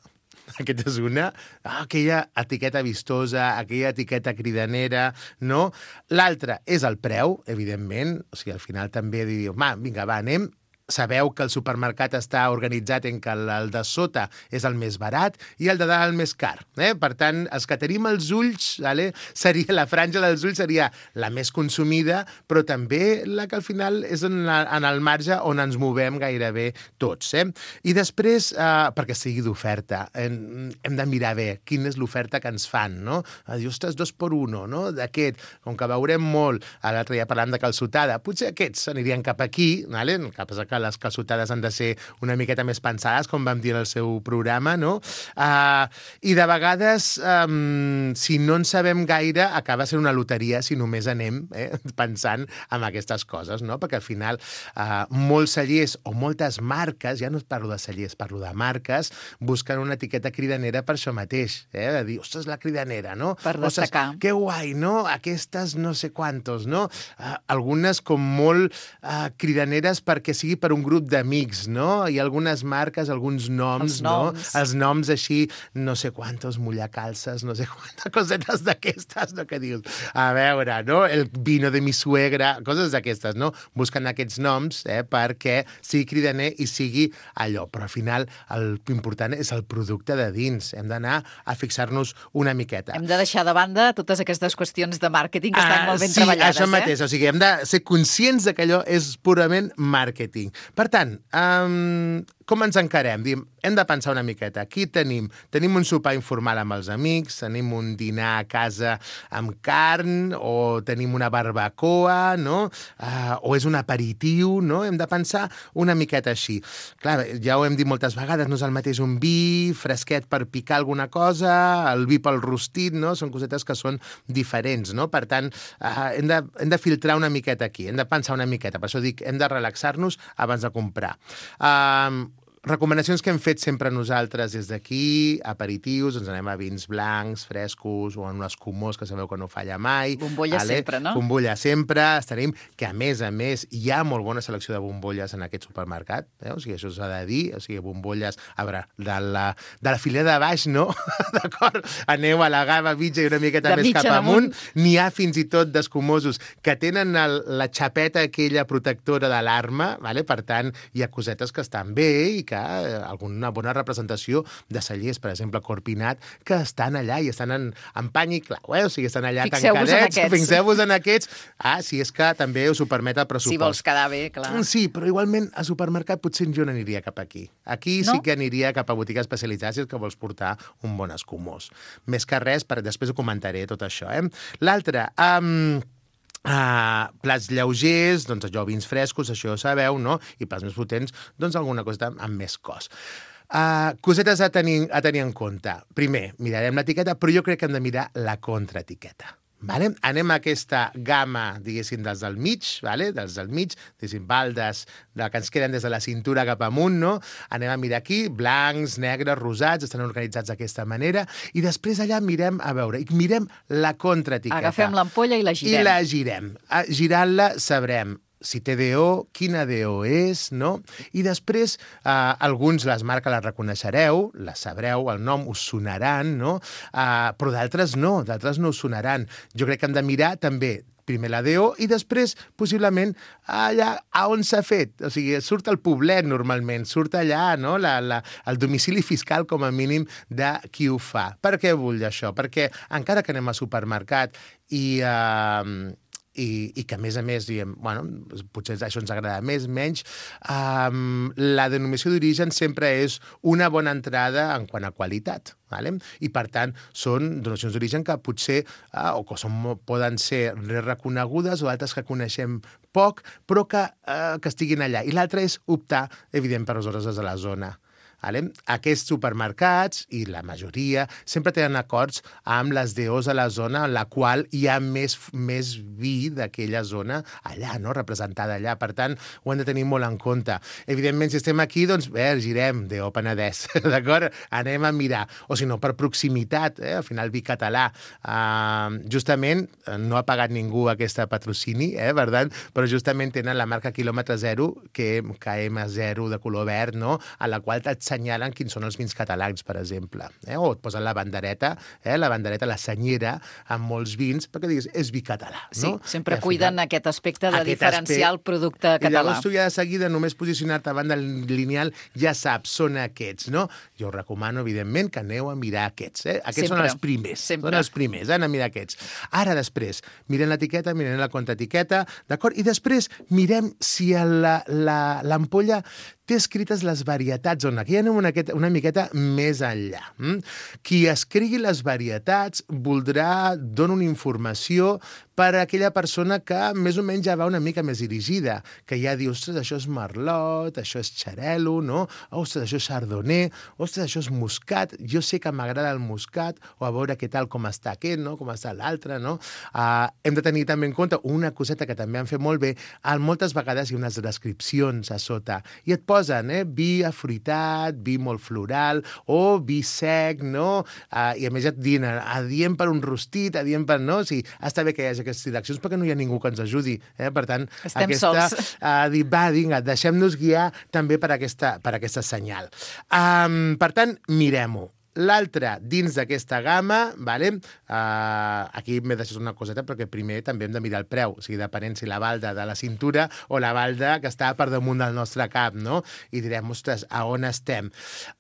aquesta és una, ah, aquella etiqueta vistosa, aquella etiqueta cridanera, no? L'altra és el preu, evidentment, o sigui, al final també diu, va, vinga, va, anem. Sabeu que el supermercat està organitzat en que el de sota és el més barat i el de dalt el més car. Eh? Per tant, els que tenim els ulls, vale? Seria, la franja dels ulls seria la més consumida, però també la que al final és en, la, en el marge on ens movem gairebé tots. Eh? I després, eh, perquè sigui d'oferta, hem, hem de mirar bé quina és l'oferta que ens fan, no? Dir, ostres, dos per uno, no? D'aquest, com que veurem molt, l'altre dia parlant de calçotada, potser aquests anirien cap aquí, vale? Cap a que les calçotades han de ser una miqueta més pensades, com vam dir en el seu programa, no? Uh, I de vegades, um, si no en sabem gaire, acaba sent una loteria si només anem eh, pensant en aquestes coses, no? Perquè al final uh, molts cellers o moltes marques, ja no parlo de cellers, parlo de marques, busquen una etiqueta cridanera per això mateix, eh? De dir, ostres, la cridanera, no? Per destacar. Ostres, que guai, no? Aquestes no sé quantos, no? Uh, algunes com molt uh, cridaneres perquè sigui per un grup d'amics, no? Hi ha algunes marques, alguns noms, Els noms. no? Els noms així, no sé quantos mullacalces, no sé quantes cosetes d'aquestes, no? Que dius, a veure, no? El vino de mi suegra, coses d'aquestes, no? Busquen aquests noms, eh? Perquè sigui cridaner i sigui allò, però al final el important és el producte de dins. Hem d'anar a fixar-nos una miqueta. Hem de deixar de banda totes aquestes qüestions de màrqueting que estan Ah, molt ben sí, treballades. això mateix. Eh? O sigui, hem de ser conscients de que allò és purament màrqueting. Per tant, um, com ens encarem? Diem, hem de pensar una miqueta. Aquí tenim, tenim un sopar informal amb els amics, tenim un dinar a casa amb carn, o tenim una barbacoa, no? Uh, o és un aperitiu, no? Hem de pensar una miqueta així. Clar, ja ho hem dit moltes vegades, no és el mateix un vi fresquet per picar alguna cosa, el vi pel rostit, no? Són cosetes que són diferents, no? Per tant, uh, hem, de, hem de filtrar una miqueta aquí, hem de pensar una miqueta. Per això dic, hem de relaxar-nos abans de comprar. Uh, Recomanacions que hem fet sempre nosaltres des d'aquí, aperitius, ens anem a vins blancs, frescos, o en un escumós, que sabeu que no falla mai. Bombolla vale? sempre, no? Bombolla sempre, estarem, que a més a més hi ha molt bona selecció de bombolles en aquest supermercat, eh? O sigui, això s'ha de dir, o sigui, bombolles, a veure, de la, de la filera de baix, no? D'acord? Aneu a la gamma mitja i una miqueta de més cap amunt. N'hi ha fins i tot d'escumosos que tenen el, la xapeta aquella protectora de l'arma, vale? Per tant, hi ha cosetes que estan bé i que alguna bona representació de cellers, per exemple, Corpinat, que estan allà i estan en, en pany i clau, eh? O sigui, estan allà tancadets. Fixeu-vos en aquests. Ah, si és que també us ho permet el pressupost. Si vols quedar bé, clar. Sí, però igualment a supermercat potser jo no aniria cap aquí. Aquí no? Sí que aniria cap a botiga especialitzada si és que vols portar un bon escumós. Més que res, per després ho comentaré tot això, eh? L'altre, um, Uh, plats lleugers, doncs allò, vins frescos, això ho sabeu, no? I plats més potents, doncs alguna cosa amb més cos. Uh, cosetes a tenir, a tenir en compte. Primer, mirarem l'etiqueta, però jo crec que hem de mirar la contraetiqueta. Vale? Anem a aquesta gamma, diguéssim, dels del mig, vale? Dels del mig, diguéssim, baldes de que ens queden des de la cintura cap amunt, no? Anem a mirar aquí, blancs, negres, rosats, estan organitzats d'aquesta manera, i després allà mirem, a veure, i mirem la contraetiqueta. Agafem l'ampolla i la girem. I la girem. Girant-la sabrem si té D O, quina D O és, no? I després, eh, alguns les marques les reconeixereu, les sabreu, el nom us sonaran, no? Eh, però d'altres no, d'altres no us sonaran. Jo crec que hem de mirar també primer la D O i després, possiblement, allà a on s'ha fet. O sigui, surt el poblet, normalment, surt allà, no? La, la, el domicili fiscal, com a mínim, de qui ho fa. Per què vull això? Perquè encara que anem al supermercat i... Eh, I, i que, a més a més, diem, bueno, potser això ens agrada més, menys, um, la denominació d'origen sempre és una bona entrada en quant a qualitat. Vale? I, per tant, són denominacions d'origen que potser uh, o que són, poden ser reconegudes o altres que coneixem poc, però que, uh, que estiguin allà. I l'altre és optar, evident, per les hores de la zona. Vale? Aquests supermercats, i la majoria, sempre tenen acords amb les D Os a la zona en la qual hi ha més, més vi d'aquella zona allà, no? Representada allà. Per tant, ho hem de tenir molt en compte. Evidentment, si estem aquí, doncs, bé, girem D O Penedès, d'acord? Anem a mirar. O si no, per proximitat, eh? Al final, vi català. Uh, justament, no ha pagat ningú aquesta patrocini, eh? Per tant, però justament tenen la marca quilòmetre zero, que K M zero de color verd, no? A la qual t'assenyalen quins són els vins catalans, per exemple. Eh? O et posen la bandereta, eh? la bandereta, la senyera, amb molts vins, perquè diguis, és vi català. No? Sí, sempre cuiden final, aquest aspecte de aquest diferenciar aspecte, el producte català. I llavors tu ja de seguida, només posicionar-te davant del lineal, ja saps, són aquests, no? Jo us recomano, evidentment, que aneu a mirar aquests. Eh? Aquests sempre, són els primers. Sempre. Són els primers, eh? Anem a mirar aquests. Ara, després, mirem l'etiqueta, mirem la contraetiqueta, d'acord? I després mirem si l'ampolla té escrites les varietats, on aquí anem una, una miqueta més enllà. Mm? Qui escrigui les varietats voldrà donar una informació per a aquella persona que més o menys ja va una mica més dirigida, que ja diu, ostres, això és merlot, això és xarel·lo, no? Ostres, això és chardonnay, ostres, això és muscat, jo sé que m'agrada el muscat, o a veure què tal, com està aquest, no? Com està l'altre, no? Uh, hem de tenir també en compte una coseta que també han fet molt bé, moltes vegades hi ha unes descripcions a sota, i et posen, eh? Vi afruitat, vi molt floral, o vi sec, no? Uh, I a més et diuen, adient per un rostit, adient per... no? O sigui, està bé que hi hagi aquestes direccions perquè no hi ha ningú que ens ajudi. Eh? Per tant, estem aquesta, sols. Uh, dir, va, vinga, deixem-nos guiar també per aquesta, per aquesta senyal. Um, per tant, mirem-ho. L'altre, dins d'aquesta gamma, vale? uh, aquí m'he deixat una coseta perquè primer també hem de mirar el preu, o sigui, depenent si la balda de la cintura o la balda que està per damunt del nostre cap, no? I direm, ostres, a on estem?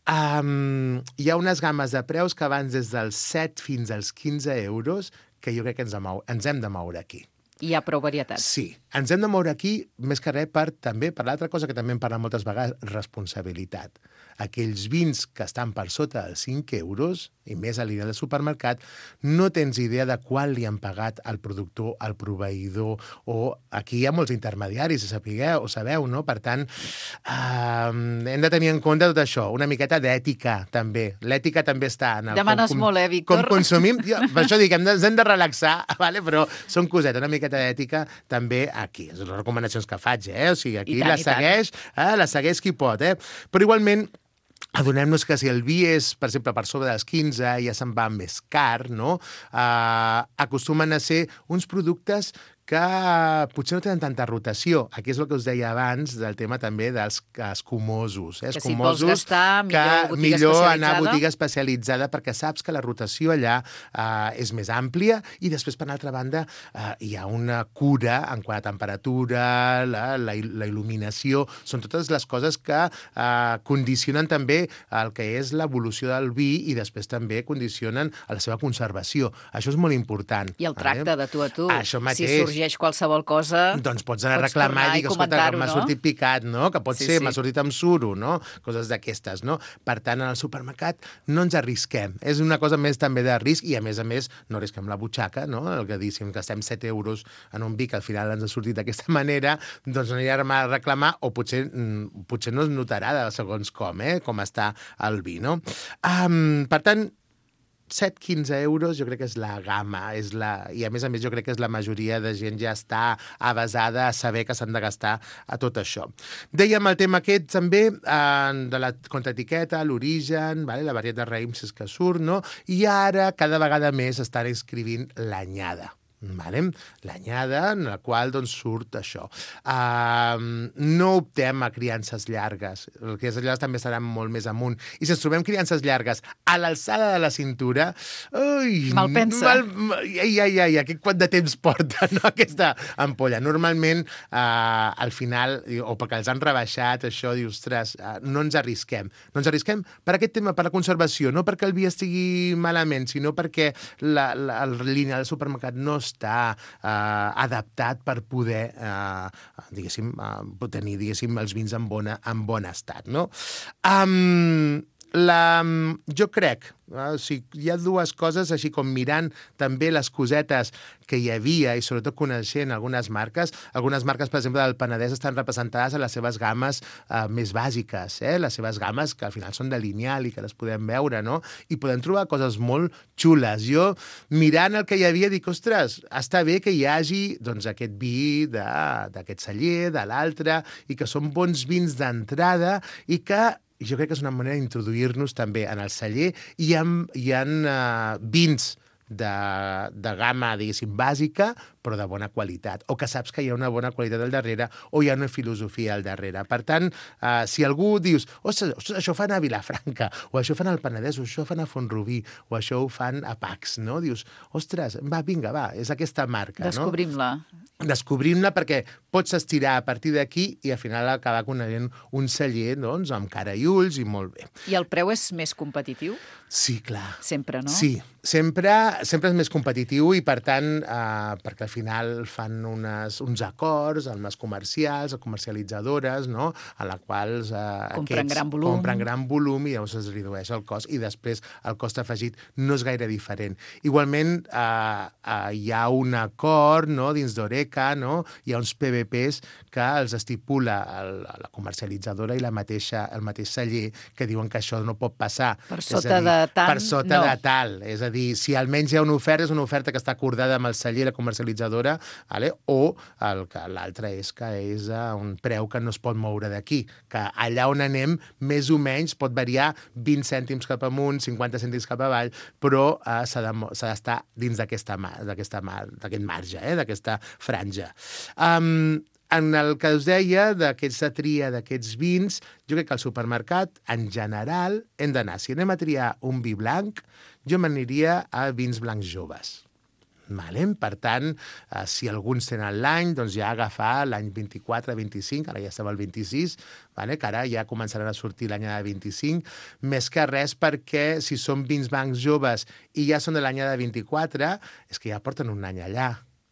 Um, hi ha unes gammes de preus que van des dels set fins als quinze euros, que jo crec que ens, ens hem de moure aquí. Hi ha prou varietat. Sí. Ens hem de moure aquí, més que res, per també, per l'altra cosa que també en parlem moltes vegades, responsabilitat. Aquells vins que estan per sota dels cinc euros, i més a l'illa del supermercat, no tens idea de quan li han pagat al productor, al proveïdor, o aquí hi ha molts intermediaris, sapigueu, o sabeu, no? Per tant, eh, hem de tenir en compte tot això, una miqueta d'ètica, també. L'ètica també està en el... Demanes com, molt, eh, Víctor? Com consumim. Jo, per això dic, hem de, ens hem de relaxar, vale? Però són cosetes, una miqueta d'ètica també aquí. És les recomanacions que faig, eh? O sigui, aquí tant, la segueix, eh? la segueix qui pot, eh? Però igualment, adonem-nos que si el vi és, per exemple, per sobre dels quinze, ja se'n va més car, no? Uh, acostumen a ser uns productes que potser no tenen tanta rotació. Aquí és el que us deia abans del tema també dels escumosos. Eh? Que si vols gastar, millor botiga millor especialitzada. anar a botiga especialitzada perquè saps que la rotació allà eh, és més àmplia i després, per l'altra banda, eh, hi ha una cura en quant a temperatura, la, la, la il·luminació. Són totes les coses que eh, condicionen també el que és l'evolució del vi i després també condicionen a la seva conservació. Això és molt important. I el tracte eh? de tu a tu. Això mateix. Si sorgeix qualsevol cosa... Doncs pots anar a reclamar i dir, escolta, que m'ha no? sortit picat, no? Que pot Sí, ser, sí. m'ha sortit amb suro, no? Coses d'aquestes, no? Per tant, en el supermercat no ens arrisquem. És una cosa més també de risc i, a més a més, no arrisquem la butxaca, no? El que diguéssim, gastem set euros en un vi que al final ens ha sortit d'aquesta manera, doncs no anirem a reclamar o potser, potser no es notarà de segons com, eh? Com està el vi, no? Um, per tant, set a quinze euros jo crec que és la gamma, és la... i a més a més jo crec que és la majoria de gent ja està avasada a saber que s'han de gastar a tot això. Dèiem el tema aquest també eh, de la contraetiqueta, l'origen, vale? La varietat de raïms és que surt, no? I ara cada vegada més estan escrivint l'anyada. Vale? L'anyada, en la qual doncs, surt això. Uh, no optem a criances llargues. Les criances llargues també seran molt més amunt. I si ens trobem criances llargues a l'alçada de la cintura... Ui, mal pensa. Mal, ai, ai, ai, ai, quant de temps porta, no, aquesta ampolla. Normalment, uh, al final, o perquè els han rebaixat, això, dius, ostres, uh, no ens arrisquem. No ens arrisquem per aquest tema, per la conservació, no perquè el vi estigui malament, sinó perquè la, la, la línia del supermercat no està eh, adaptat per poder, eh, diguéssim, eh, tenir, diguéssim, els vins en, bona, en bon estat, no? Um, la, jo crec, eh, o sigui, hi ha dues coses, així com mirant també les cosetes que hi havia i sobretot coneixent algunes marques. Algunes marques, per exemple, del Penedès estan representades a les seves games eh, més bàsiques, eh? Les seves games que al final són de lineal i que les podem veure, no? I podem trobar coses molt xules. Jo, mirant el que hi havia, dic, ostres, està bé que hi hagi doncs, aquest vi d'aquest celler, de l'altre, i que són bons vins d'entrada i que jo crec que és una manera d'introduir-nos també en el celler i hi ha, hi ha uh, vins de, de gamma, diguéssim, bàsica, però de bona qualitat, o que saps que hi ha una bona qualitat al darrere, o hi ha una filosofia al darrere. Per tant, eh, si algú dius, ostres, ostres, això ho fan a Vilafranca, o això ho fan al Penedès, o això ho fan a Font-rubí, o això ho fan a Pacs, no? Dius, ostres, va, vinga, va, és aquesta marca, Descobrim-la. no? Descobrim-la perquè pots estirar a partir d'aquí i al final acabar coneixent un celler, doncs, amb cara i ulls i molt bé. I el preu és més competitiu? Sí, clar. Sempre, no? Sí, sempre, sempre és més competitiu i, per tant, eh, perquè al final fan unes, uns acords amb les comercials, les comercialitzadores, no?, a la qual eh, compren aquests gran volum. compren gran volum i llavors es redueix el cost i després el cost afegit no és gaire diferent. Igualment, eh, eh, hi ha un acord, no?, dins d'Oreca, no?, hi ha uns P V Ps que els estipula el, la comercialitzadora i la mateixa, el mateix celler que diuen que això no pot passar. Per sota de tant, per sota no. de tal. És a dir, si almenys hi ha una oferta, és una oferta que està acordada amb el celler i la comercialitzadora, vale? O l'altre és que és a un preu que no es pot moure d'aquí, que allà on anem, més o menys, pot variar vint cèntims cap amunt, cinquanta cèntims cap avall, però eh, s'ha d'estar dins d'aquesta d'aquest marge, eh? D'aquesta franja. Um, En el que us deia, d'aquesta tria d'aquests vins, jo crec que al supermercat, en general, hem d'anar. Si anem a triar un vi blanc, jo m'aniria a vins blancs joves. Vale? Per tant, eh, si alguns tenen l'any, doncs ja agafar l'any vint-i-quatre, vint-i-cinc, ara ja estava el vint-i-sis, vale? Que ara ja començaran a sortir l'anyada vint-i-cinc, més que res perquè si són vins blancs joves i ja són de l'anyada vint-i-quatre, és que ja porten un any allà.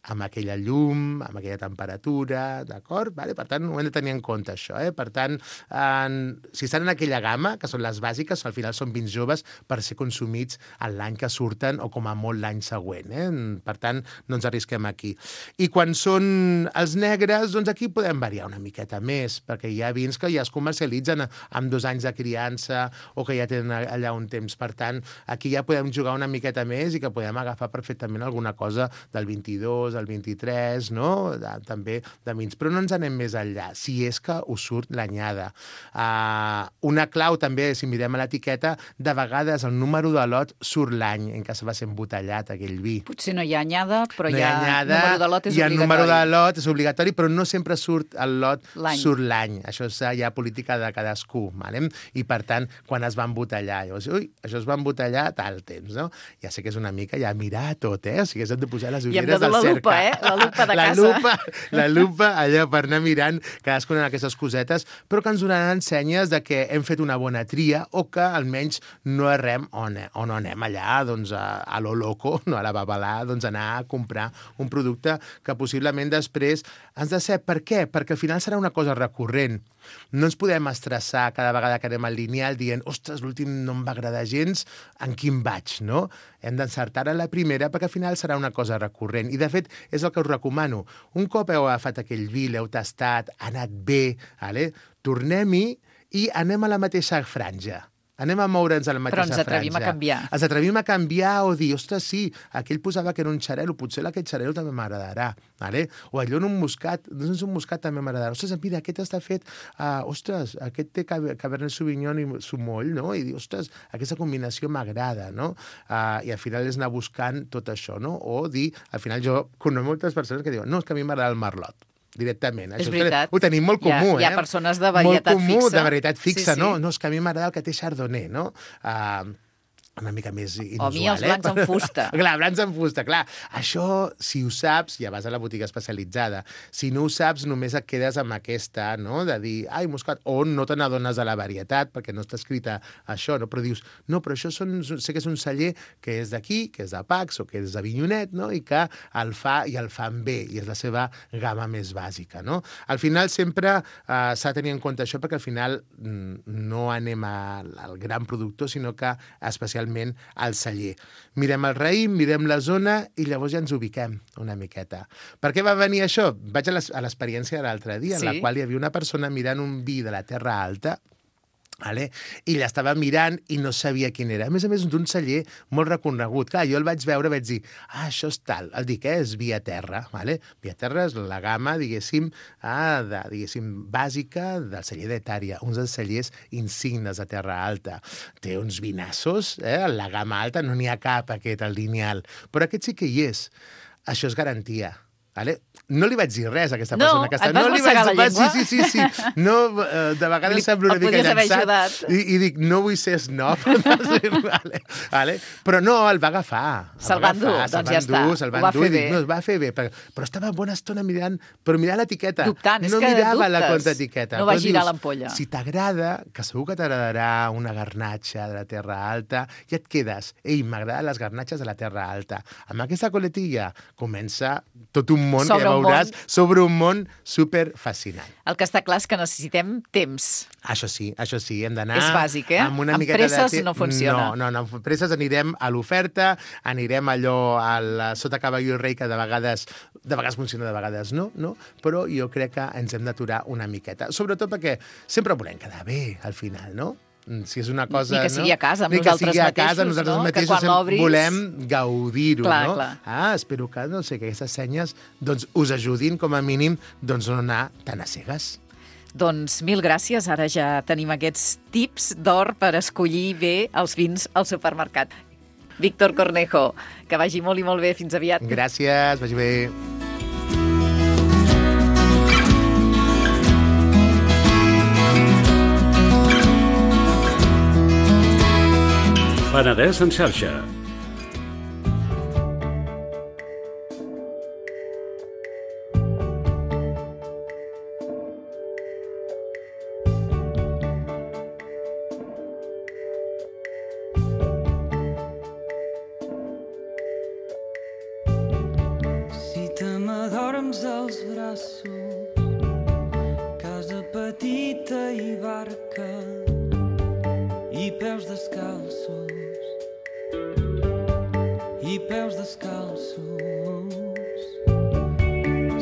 amb aquella llum, amb aquella temperatura, d'acord? Vale? Per tant, ho hem de tenir en compte, això. Eh? Per tant, en, si estan en aquella gamma, que són les bàsiques, al final són vins joves per ser consumits en l'any que surten o com a molt l'any següent. Eh? Per tant, no ens arrisquem aquí. I quan són els negres, doncs aquí podem variar una miqueta més, perquè hi ha vins que ja es comercialitzen amb dos anys de criança o que ja tenen allà un temps. Per tant, aquí ja podem jugar una miqueta més i que podem agafar perfectament alguna cosa del vint-i-dos, el vint-i-tres, no? De, també de vins. Però no ens anem més enllà, si és que us surt l'anyada. Uh, una clau també, si mirem a l'etiqueta, de vegades el número de lot surt l'any en què se va ser embotellat aquell vi. Potser no hi ha anyada, però no hi ha, ha anyada, número de lot és hi ha obligatori. número de lot, és obligatori, però no sempre surt el lot, l'any. surt l'any. Això és ja política de cadascú, vale? I per tant, quan es va embotellar, llavors, ui, això es va embotellar a tal temps, no? Ja sé que és una mica ja mirar tot, eh? O sigui, hem de posar les ulleres del cercle. I hem de dur la lupa, eh? La lupa de la casa. Lupa, la lupa, allò, per anar mirant cadascuna d'aquestes cosetes, però que ens donaran senyes de que hem fet una bona tria o que almenys no errem on, on anem allà, doncs, a, a lo loco, no a la babalà, doncs anar a comprar un producte que possiblement després ens decep. Per què? Perquè al final serà una cosa recurrent. No ens podem estressar cada vegada que anem al lineal dient, ostres, l'últim no em va agradar gens, en quin vaig, no? Hem d'encertar en la primera perquè al final serà una cosa recurrent. I, de fet, és el que us recomano. Un cop heu agafat aquell vi, l'heu tastat, ha anat bé, vale? Tornem-hi i anem a la mateixa franja. Anem a moure'ns a la mateixa franja. Però ens atrevim franja. a canviar. Ens atrevim a canviar o dir, ostres, sí, aquell posava que era un xarel·lo, potser aquest xarel·lo també m'agradarà. Vale? O allò en un moscat, doncs un moscat també m'agradarà. Ostres, mira, aquest està fet, uh, ostres, aquest té Cabernet Sauvignon i sumoll, no? I dir, ostres, aquesta combinació m'agrada, no? Uh, I al final és anar buscant tot això, no? O dir, al final jo conec moltes persones que diuen, no, és que a mi m'agrada el merlot. Directament. És Això veritat. ho tenim molt comú, hi ha, eh? Hi ha persones de varietat molt comú, fixa. de varietat fixa, sí, sí. no? No, és que a mi m'agrada el que té Chardonnay, no? Uh, una mica més inusual, O a mi els blancs eh? en fusta. Clar, blancs en fusta, clar. Això, si ho saps, ja vas a la botiga especialitzada. Si no ho saps, només et quedes amb aquesta, no?, de dir, ai, moscat, o no te n'adones de la varietat, perquè no està escrita això, no? Però dius, no, però això són, sé que és un celler que és d'aquí, que és de Pacs o que és de Vinyonet, no?, i que el fa i el fan bé, i és la seva gamma més bàsica, no? Al final sempre eh, s'ha de tenir en compte això, perquè al final no anem al, al gran productor, sinó que especialment al celler. Mirem el raïm, mirem la zona i llavors ja ens ubiquem una miqueta. Per què va venir això? Vaig a l'experiència de l'altre dia, sí? En la qual hi havia una persona mirant un vi de la Terra Alta, vale? I l'estava mirant i no sabia quin era. A més a més, d'un celler molt reconegut. Clar, jo el vaig veure, vaig dir, ah, això és tal. El dic, eh, és Via Terra. Vale? Via Terra és la gamma, diguéssim, ah, de, diguéssim, bàsica del celler d'Etària, uns dels cellers insignes de Terra Alta. Té uns vinassos, eh? La gamma alta no n'hi ha cap, aquest, el lineal. Però aquest sí que hi és. Això és garantia. Vale? No li vaig dir res a aquesta no, persona. Que està... et vas no, mossegar la llengua? Sí, sí, sí. sí. No, de vegades li... sembla una el mica llançat. I, I dic, no vull ser snob. vale, vale. Però no, el va agafar. Se'l va endur, doncs ja està. Se'l va va endur fer i dic, bé. no, es va fer bé. Però, però estava bona estona mirant, però mirant l'etiqueta. Dubtant, és no que mirava dubtes. la contraetiqueta. No va Però girar dius, l'ampolla. Si t'agrada, que segur que t'agradarà una garnatxa de la Terra Alta, i et quedes, ei, m'agraden les garnatxes de la Terra Alta. Amb aquesta coletilla comença tot un món Sobre que ja un veuràs món. sobre un món super fascinant. El que està clar és que necessitem temps. Això sí, això sí, hem d'anar... És bàsic, eh? Amb, una amb miqueta presses de te... no funciona. No, no, no, amb presses anirem a l'oferta, anirem allò al sota cavall i rei, que de vegades, de vegades funciona, de vegades no, no, però jo crec que ens hem d'aturar una miqueta. Sobretot perquè sempre volem quedar bé, al final, no? Si és una cosa... Ni que sigui no? a casa, amb Ni nosaltres que sigui a casa, mateixos, nosaltres no? mateixos Que quan l'obris... volem gaudir-ho, clar, no? Clar. Ah, espero que, no sé, que aquestes senyes doncs, us ajudin, com a mínim, doncs, no anar tan a cegues. Doncs mil gràcies. Ara ja tenim aquests tips d'or per escollir bé els vins al supermercat. Víctor Cornejo, que vagi molt i molt bé. Fins aviat. Gràcies, vagi bé. Penedès en xarxa. Si te descalços, casa petita i barca, i peus descalços, i peus descalços.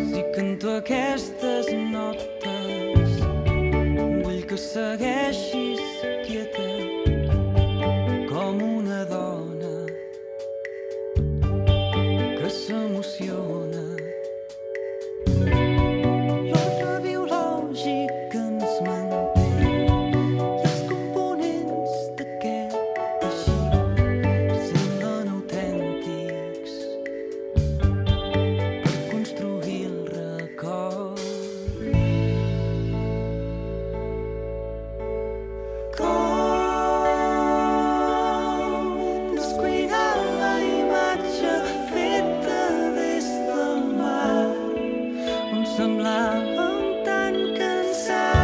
Si canto aquestes notes, vull que segueixis quieta com una dona que s'emociona. L'ordre biològic que ens manté i els components d'aquest teixit semblen autèntics per construir el record. Semblàvem tan cansats,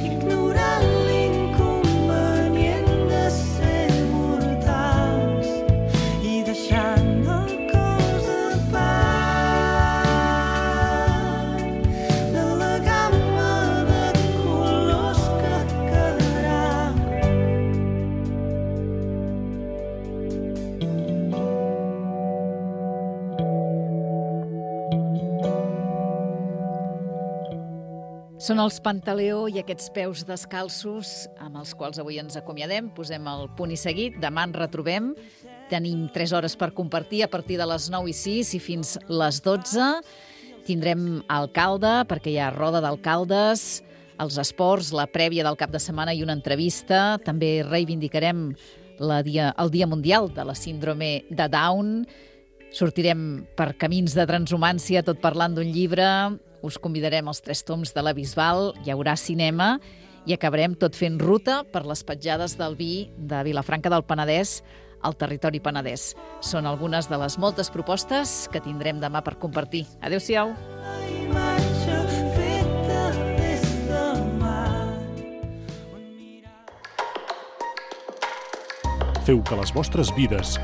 ignorant l'inconvenient de ser mortals i deixant el cos a part de la gamma de colors que quedarà. Són els Pantaleó i aquests peus descalços amb els quals avui ens acomiadem. Posem el punt i seguit. Demà ens retrobem. Tenim tres hores per compartir a partir de les nou i sis i fins les dotze. Tindrem alcalde, perquè hi ha roda d'alcaldes, els esports, la prèvia del cap de setmana i una entrevista. També reivindicarem la dia, el Dia Mundial de la Síndrome de Down. Sortirem per camins de transhumància, tot parlant d'un llibre. Us convidarem als tres toms de la Bisbal, hi haurà cinema i acabarem tot fent ruta per les petjades del vi de Vilafranca del Penedès al territori penedès. Són algunes de les moltes propostes que tindrem demà per compartir. Adéu-siau! Feu que les vostres vides